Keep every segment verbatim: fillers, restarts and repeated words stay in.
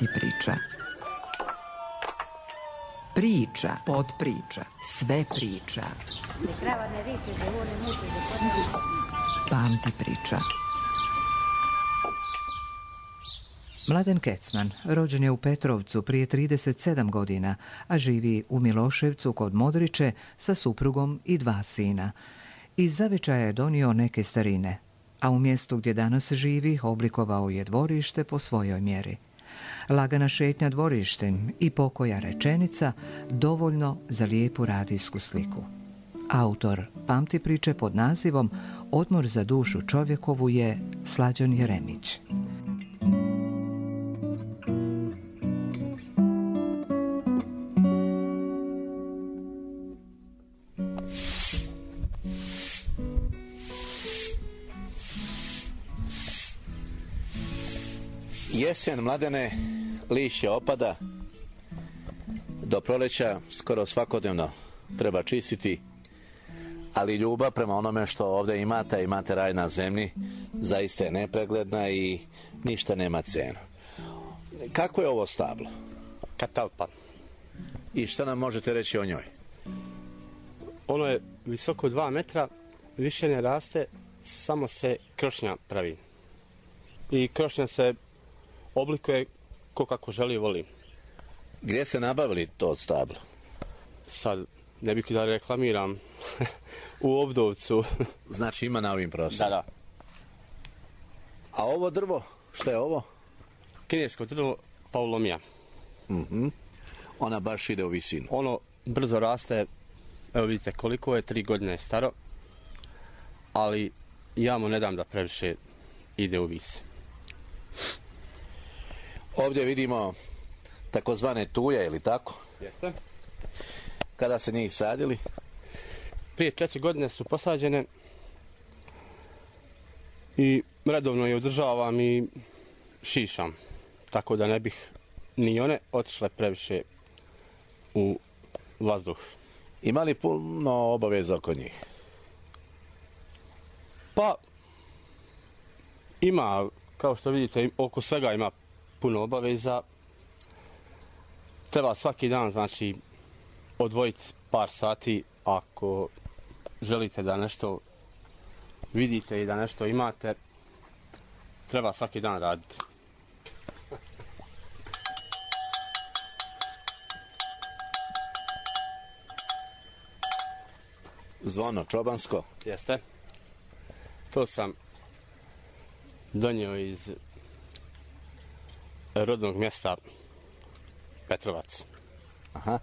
Pamti priča. Priča, podpriča, sve priča. Pamti priča. Mladen Kecman rođen je u Petrovcu prije trideset sedam godina, a živi u Miloševcu kod Modriče sa suprugom i dva sina. Iz zavičaja je donio neke starine, a u mjestu gdje danas živi oblikovao je dvorište po svojoj mjeri. Lagana šetnja dvorištem i pokoja rečenica dovoljno za lijepu radijsku sliku. Autor Pamti priče pod nazivom Odmor za dušu čovjekovu je Slađan Jeremić. Jesen, Mladene, lišće opada, do proleća skoro svakodnevno treba čistiti, ali ljubav prema onome što ovdje imate, imate raj na zemlji, zaista je nepregledna i ništa nema cenu. Kako je ovo stablo? Katalpa. I šta nam možete reći o njoj? Ono je visoko dva metra, više ne raste, samo se krošnja pravi. I krošnja se oblikuje ko kako želi i voli. Gdje ste nabavili to stablo? Sad, ne bih da reklamiram, u Obdovcu. Znači ima na ovim prostorima? Da, da. A ovo drvo, šta je ovo? Kinesko drvo Paulomija. Uh-huh. Ona baš ide u visinu. Ono brzo raste, evo vidite koliko je, tri godine je staro, ali ja mu ne dam da previše ide u vis. Ovdje vidimo takozvane tuje, ili tako? Jeste. Kada ste njih sadili? Prije četiri godine su posađene i redovno je održavam i šišam, tako da ne bih ni one otišle previše u vazduh. Ima li puno obaveza oko njih? Pa, ima, kao što vidite, oko svega ima puno obaveza. Treba svaki dan, znači, odvojiti par sati ako želite da nešto vidite i da nešto imate. Treba svaki dan raditi. Zvono čobansko? Jeste. To sam donio iz rodnog mjesta Petrovac. Aha.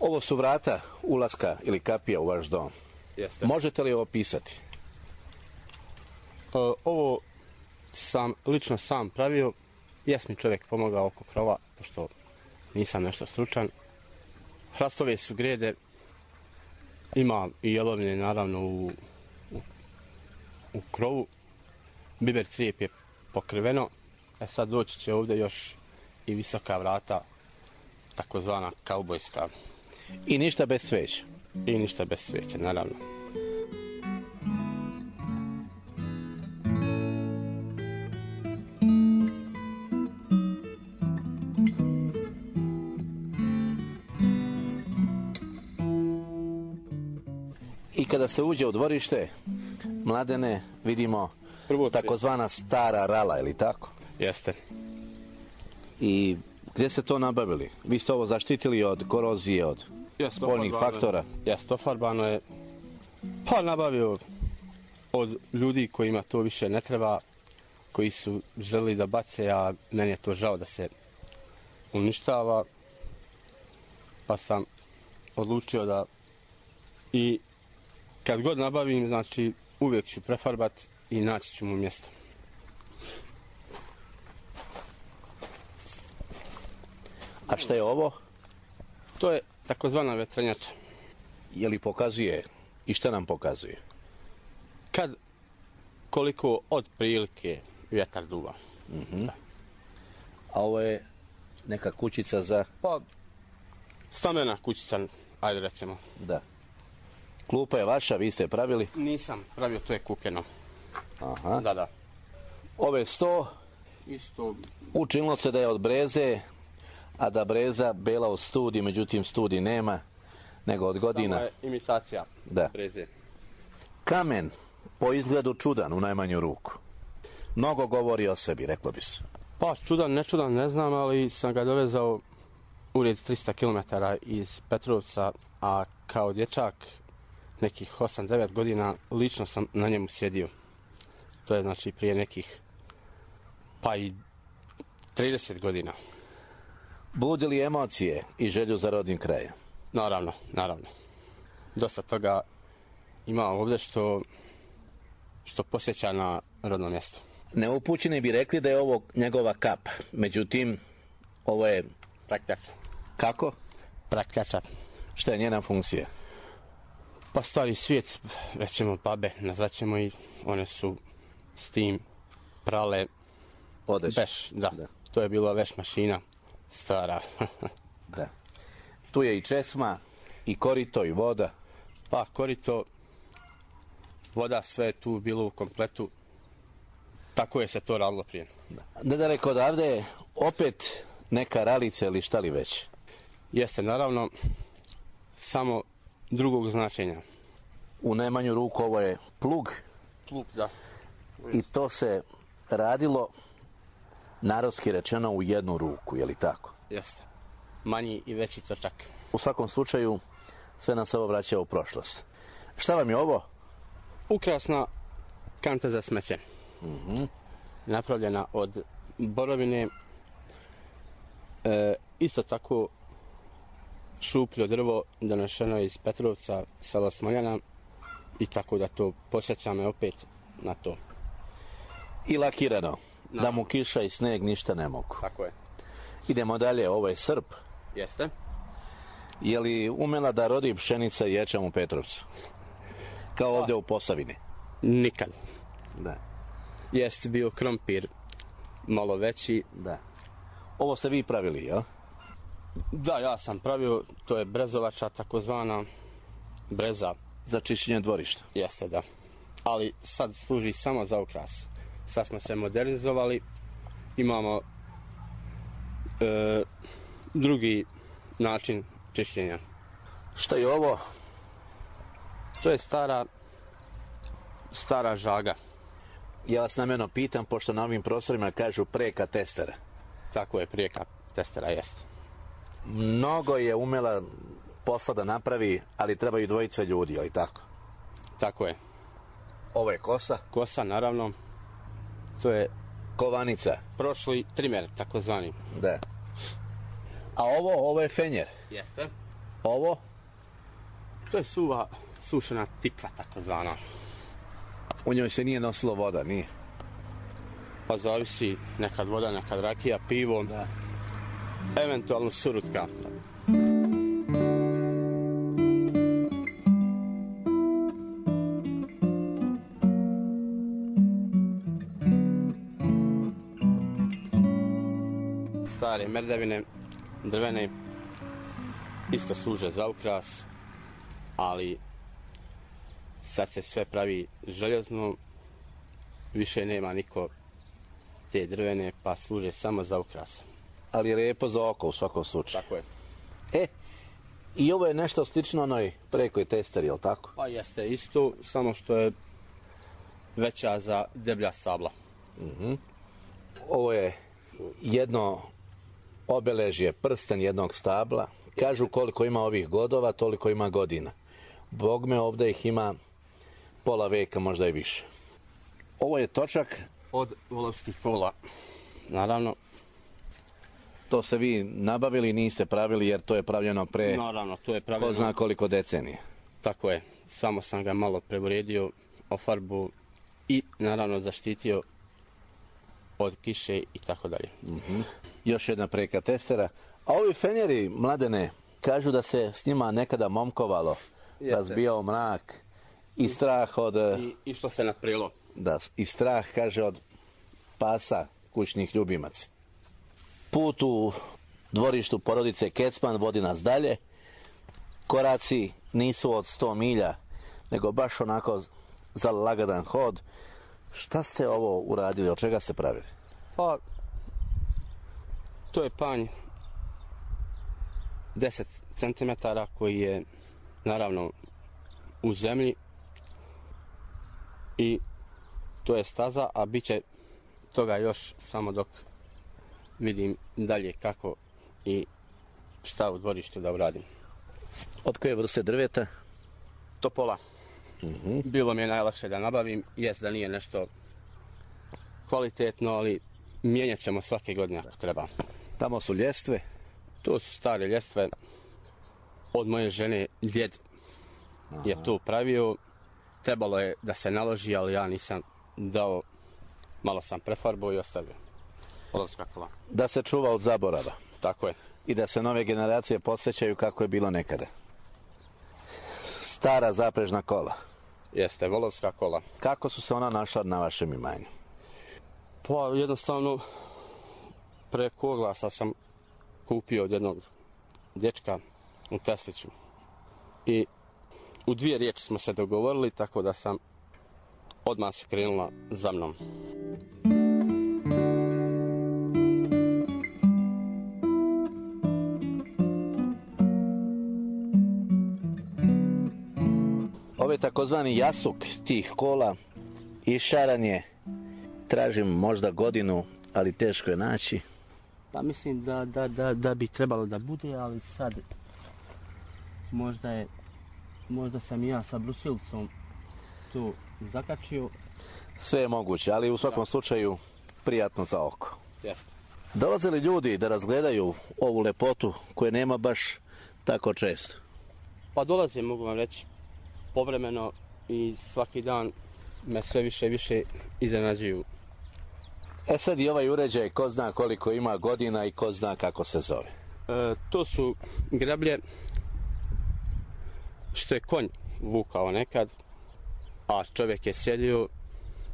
Ovo su vrata ulaska ili kapija u vaš dom. Jeste. Možete li ovo pisati? O, ovo sam lično sam pravio. Jes mi čovjek pomogao oko krova, pošto nisam nešto stručan. Hrastove su grede. Ima i jelovine naravno u, u, u krovu. Biber crijep je pokriveno. E sad doći će ovdje još i visoka vrata, takozvana kaubojska. I ništa bez cveća? I ništa bez cveća, naravno. I kada se uđe u dvorište, Mladene, vidimo Prvo takozvana stara rala, ili tako? Jeste. I gdje ste to nabavili? Vi ste ovo zaštitili od korozije, od Jest, spoljnih faktora? Jeste, ofarbano je, pa nabavio od ljudi kojima to više ne treba, koji su želi da bace, a meni je to žao da se uništava, pa sam odlučio da i kad god nabavim, znači uvijek ću prefarbat i naći ću mu mjesto. A šta je ovo? To je takozvana vetrenjača. Je li pokazuje i šta nam pokazuje? Kad koliko od prilike vjetar duva. Mm-hmm. A ovo je neka kućica za... Pa, stamena kućica, ajde recimo. Da. Klupa je vaša, vi ste pravili? Nisam pravio, to je kupljeno. Aha. Da, da. Ove sto isto. Učinilo se da je od breze, a da breza bela od studi, međutim studi nema, nego od godina. Samo je imitacija Da. breze. Kamen, po izgledu čudan u najmanju ruku. Mnogo govori o sebi, reklo bi se. Pa čudan, ne čudan, ne znam, ali sam ga dovezao ured tristo kilometara iz Petrovca, a kao dječak nekih osam devet godina lično sam na njemu sjedio. To je znači prije nekih pa i trideset godina. Budi li emocije i želju za rodnim krajem? Naravno, naravno. Dosta toga ima ovdje što, što posjeća na rodno mjesto. Neupućeni bi rekli da je ovo njegova kap. Međutim, ovo je... Prakljača. Kako? Prakljača. Šta je njena funkcija? Pa stari svijet, rećemo babe, nazvaćemo i one su s tim prale Odeće. veš, da. Da. To je bila veš mašina, stara. Da. Tu je i česma, i korito, i voda. Pa korito, voda, sve je tu bilo u kompletu. Tako je se to radilo prije. Nedaleko odavde je opet neka ralica ili šta li već. Jeste, naravno, samo drugog značenja. U najmanju ruku ovo je plug Plug, da. i to se radilo, narodski rečeno, u jednu ruku, je li tako? Jeste. Manji i veći točak. U svakom slučaju, sve nas ovo vraća u prošlost. Šta vam je ovo? Ukrasna kanta za smeće. Mm-hmm. Napravljena od borovine. E, isto tako šupljo drvo donešeno iz Petrovca, selo Smoljana, i tako da to posjeća me opet na to. I lakirano, No. da mu kiša i sneg ništa ne mogu. Tako je. Idemo dalje, ovo je srp. Jeste. Je li umela da rodi pšenica i ječam u Petrovcu? Kao ovdje u Posavini? Nikad. Da. Jeste bio krompir malo veći. Da. Ovo ste vi pravili, jel? Da, ja sam pravio, to je brezovača, takozvana breza. Za čišćenje dvorišta. Jeste, da. Ali sad služi samo za ukras. Sad smo se modernizovali, imamo e, drugi način čišćenja. Šta je ovo? To je stara, stara žaga. Ja vas namjerno pitam, pošto na ovim prostorima kažu preka testera. Tako je, prijeka testera, jeste. Mnogo je umela posla da napravi, ali trebaju dvojica ljudi, ali tako? Tako je. Ovo je kosa. Kosa, naravno, to je Kovanica. prošli trimer, takozvani. Da. A ovo, ovo je fenjer. Jeste. Ovo? To je suva, sušena tikva, takozvana. U njoj se nije nosilo voda, nije? Pa zavisi, nekad voda, nekad rakija, pivo, Da. eventualno surutka. Stare merdevine, drvene, isto služe za ukras, ali sad se sve pravi željezno, više nema niko te drvene, pa služe samo za ukras. Ali je lijepo za oko u svakom slučaju. Tako je. E, i ovo je nešto slično onoj prekoj testeri, jel tako? Pa jeste isto, samo što je veća za deblja stabla. Ovo je jedno obeležje, prsten jednog stabla. Kažu koliko ima ovih godova, toliko ima godina. Bogme, ovdje ih ima pola veka, možda i više. Ovo je točak, Od volovskih pola. Naravno, to ste vi nabavili, niste pravili jer to je pravljeno pre naravno, to je ko pravilno. zna koliko decenije. Tako je, samo sam ga malo preuredio, ofarbu i naravno zaštitio od kiše i tako dalje. Još jedna preka testera. A ovi fenjeri, Mladene, kažu da se s njima nekada momkovalo, Jeste. razbijao mrak i strah od... I išlo se na prilo. Da, i strah, kaže, od pasa kućnih ljubimaca. Put u dvorištu porodice Kecman vodi nas dalje. Koraci nisu od sto milja, nego baš onako za lagadan hod. Šta ste ovo uradili, od čega ste pravili? Pa, To je panj deset centimetara koji je naravno u zemlji i to je staza, a bit će toga još samo dok vidim dalje kako i šta u dvorištu da uradim. Od koje vrste drveta? Topola. Uh-huh. Bilo mi je najlakše da nabavim, jest da nije nešto kvalitetno, ali mijenjat ćemo svake godine ako treba. Tamo su ljestve? To su stare ljestve. Od moje žene djed Aha. je to pravio. Trebalo je da se naloži, ali ja nisam dao, malo sam prefarbao i ostavio. Volovska kola. Da se čuva od zaborava. Tako je. I da se nove generacije podsjećaju kako je bilo nekada. Stara zaprežna kola. Jeste, volovska kola. Kako su se ona našla na vašem imanju? Pa jednostavno preko oglasa sam kupio od jednog dječka u Tesliću. I u dvije riječi smo se dogovorili, tako da sam odmah su krenula za mnom. Ove takozvani jastuk tih kola išaran je, tražim možda godinu, ali teško je naći. Pa mislim da, da, da, da bi trebalo da bude, ali sad možda je, možda sam i ja sa brusilcom tu zakačio. Sve je moguće, ali u svakom da. slučaju prijatno za oko. Jeste. Dolaze li ljudi da razgledaju ovu lepotu koje nema baš tako često? Pa dolaze, mogu vam reći, povremeno i svaki dan me sve više i više iznenađuju. E sad i ovaj uređaj, ko zna koliko ima godina i ko zna kako se zove? E, to su grablje što je konj vukao nekad, a čovjek je sjedio,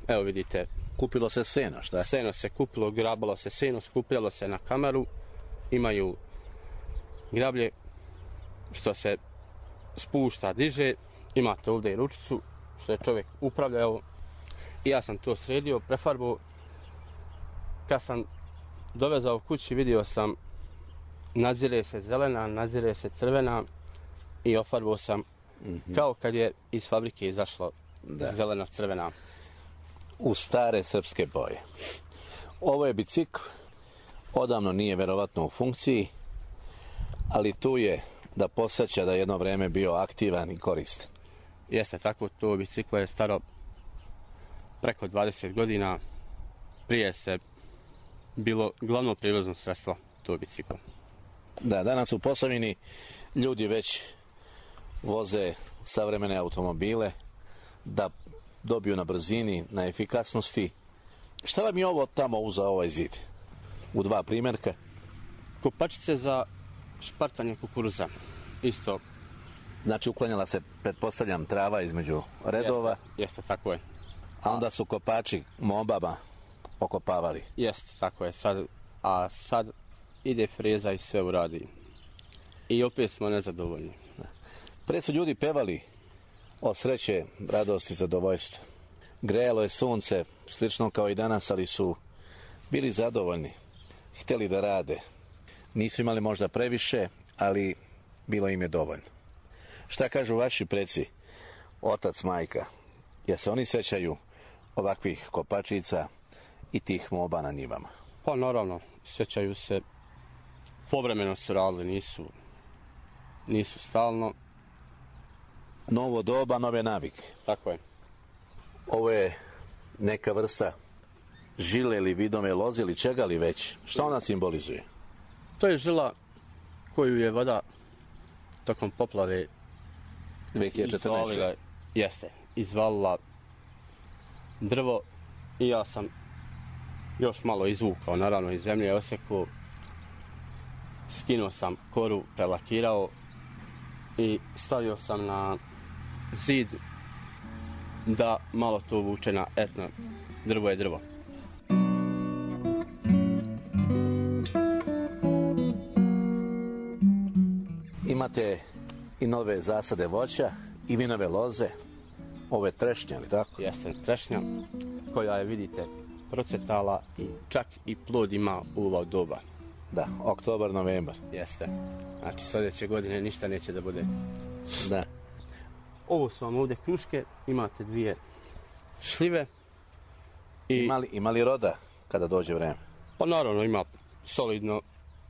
evo vidite. Kupilo se seno, šta? Seno se kupilo, grabalo se seno, skupljalo se na kameru, imaju grablje što se spušta, diže, imate ovdje i ručicu što je čovjek upravljao i ja sam to sredio, prefarbao. Kad sam dovezao kući vidio sam nadzire se zelena, nadzire se crvena i ofarbao sam mm-hmm. kao kad je iz fabrike izašlo zeleno crvena. U stare srpske boje. Ovo je bicikl, odavno nije verovatno u funkciji, ali tu je da posjeća da jedno vreme bio aktivan i koristan. Jeste tako, to biciklo je staro preko dvadeset godina, prije se bilo glavno prijevozno sredstvo to biciklo. Da, danas u Posavini ljudi već voze savremene automobile da dobiju na brzini, na efikasnosti. Šta vam je ovo tamo uza ovaj zid? U dva primjerka? Kopačice za špartanje kukuruza. Isto. Znači uklanjala se, pretpostavljam, trava između redova. Jeste, jeste tako je. A onda su kopači mobama okopavali. Jeste, tako je. Sad, a sad ide freza i sve uradi. I opet smo nezadovoljni. Pre su ljudi pevali o sreće, radosti, zadovoljstva. Grejalo je sunce, slično kao i danas, ali su bili zadovoljni. Htjeli da rade. Nisu imali možda previše, ali bilo im je dovoljno. Šta kažu vaši preci, otac, majka? Ja se oni sećaju ovakvih kopačica i tih moba na njivama? Pa naravno, sećaju se. Povremeno su radili, nisu, nisu stalno. Novo doba, nove navike. Tako je. Ovo je neka vrsta žile ili vidove loze ili čega li već? Šta ona simbolizuje? To je žila koju je voda tokom poplave dvije hiljade četrnaeste. izvalila, jeste, izvalila drvo i ja sam još malo izvukao, naravno iz zemlje osekao, skinuo sam koru, prelakirao i stavio sam na zid da malo to vuče na etno, drvo je drvo. Imate i nove zasade voća i vinove loze, ove trešnje, ali tako? Jeste, trešnja koja je, vidite, procetala i čak i plod ima u ovo doba. Da, oktobar, novembar. Jeste. Znači sljedeće godine ništa neće da bude. Da. Ovo su vam ovdje kruške, imate dvije šljive. I... Imali, imali roda kada dođe vreme? Pa naravno ima solidno,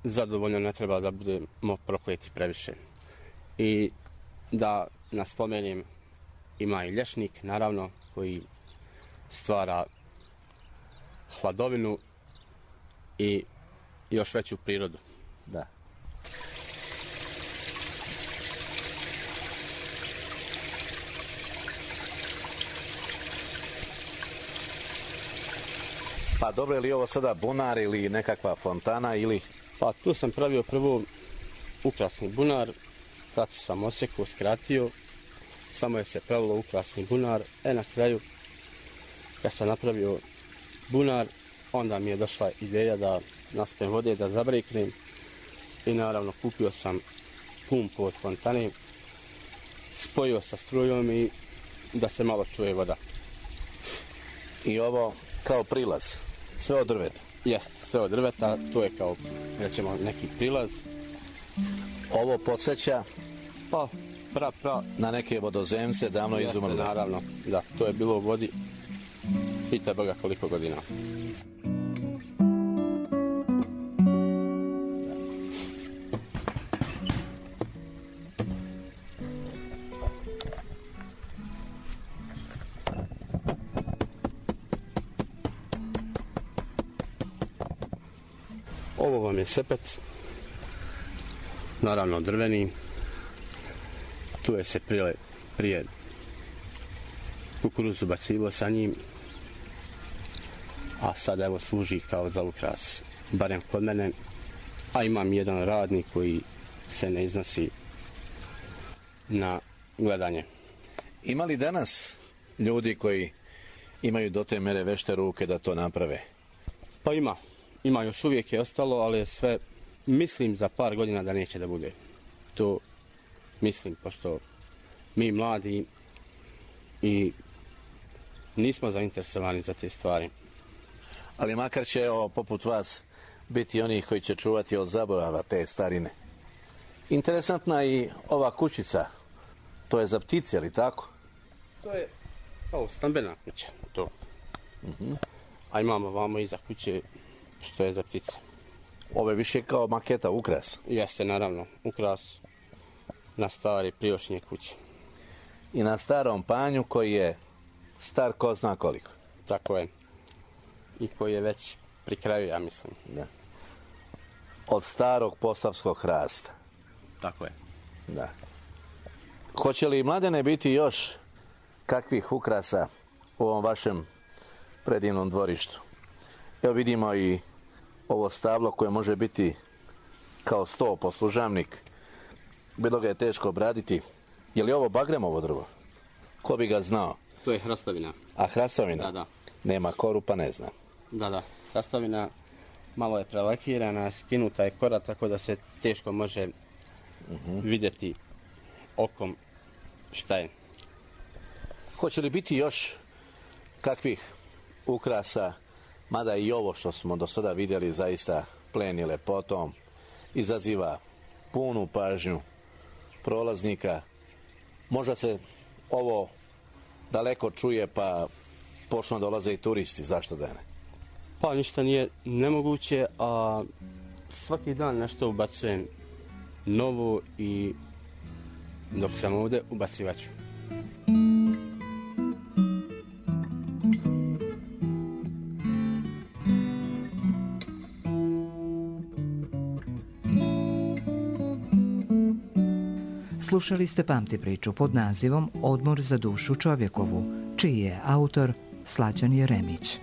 zadovoljno, ne treba da budemo prokleti previše. I da naspomenem, ima i lješnik, naravno, koji stvara hladovinu i još veću prirodu. Da. Pa dobro, je li ovo sada bunar ili nekakva fontana ili... Pa tu sam pravio prvo ukrasni bunar, kad sam osjekao, skratio, samo je se pravilo ukrasni bunar, e na kraju, kad sam napravio bunar, onda mi je došla ideja da naspijem vode, da zabreknem i naravno kupio sam pumpu od fontane, spojio sa strujom i da se malo čuje voda. I ovo kao prilaz, sve od drveta? Jest, sve od drveta, to je kao, rećemo, neki prilaz. Ovo podsjeća Pa, pra, pra. na neke vodozemce davno Jeste, izumrle. naravno, da, to je bilo u vodi, pita Boga koliko godina. Ovo vam je sepet, naravno drveni, tu je se prije, prije kukuruzu bacilo sa njim, a sad evo služi kao za ukras, barem kod mene, a imam jedan radnik koji se ne iznosi na gledanje. Ima li danas ljudi koji imaju do te mere vešte ruke da to naprave? Pa ima, ima još uvijek je ostalo, ali je sve, mislim za par godina da neće da bude. To mislim, pošto mi mladi i nismo zainteresovani za te stvari. Ali makar će, evo, poput vas biti onih koji će čuvati od zaborava te starine. Interesantna i ova kućica, to je za ptice, ali tako? To je kao stambena kuća, to. Uh-huh. A imamo vamo iza kuće što je za ptice. Ovo je više kao maketa, ukras. Jeste, naravno, ukras na stari prijošnje kuće. I na starom panju koji je star ko zna koliko. Tako je. I koji je već pri kraju, ja mislim. Da. Od starog posavskog hrasta. Tako je. Da. Hoće li, Mladene, biti još kakvih ukrasa u ovom vašem predivnom dvorištu? Evo vidimo i ovo stablo koje može biti kao sto poslužavnik. Bilo ga je teško obraditi. Je li ovo bagremovo drvo? Ko bi ga znao? To je hrastovina. A hrastovina? Da, da. Nema koru, pa ne znam. Da, da. Hrastovina malo je prelakirana, skinuta je kora, tako da se teško može uh-huh. vidjeti okom šta je. Hoće li biti još kakvih ukrasa, mada i ovo što smo do sada vidjeli zaista pleni lepotom, izaziva punu pažnju prolaznika. Možda se ovo daleko čuje pa počnu dolaze i turisti, zašto da ne? Pa ništa nije nemoguće, a svaki dan nešto ubacujem novo i dok sam ovdje ubacivat ću. Slušali ste Pamti priču pod nazivom Odmor za dušu čovjekovu, čiji je autor Slađan Jeremić.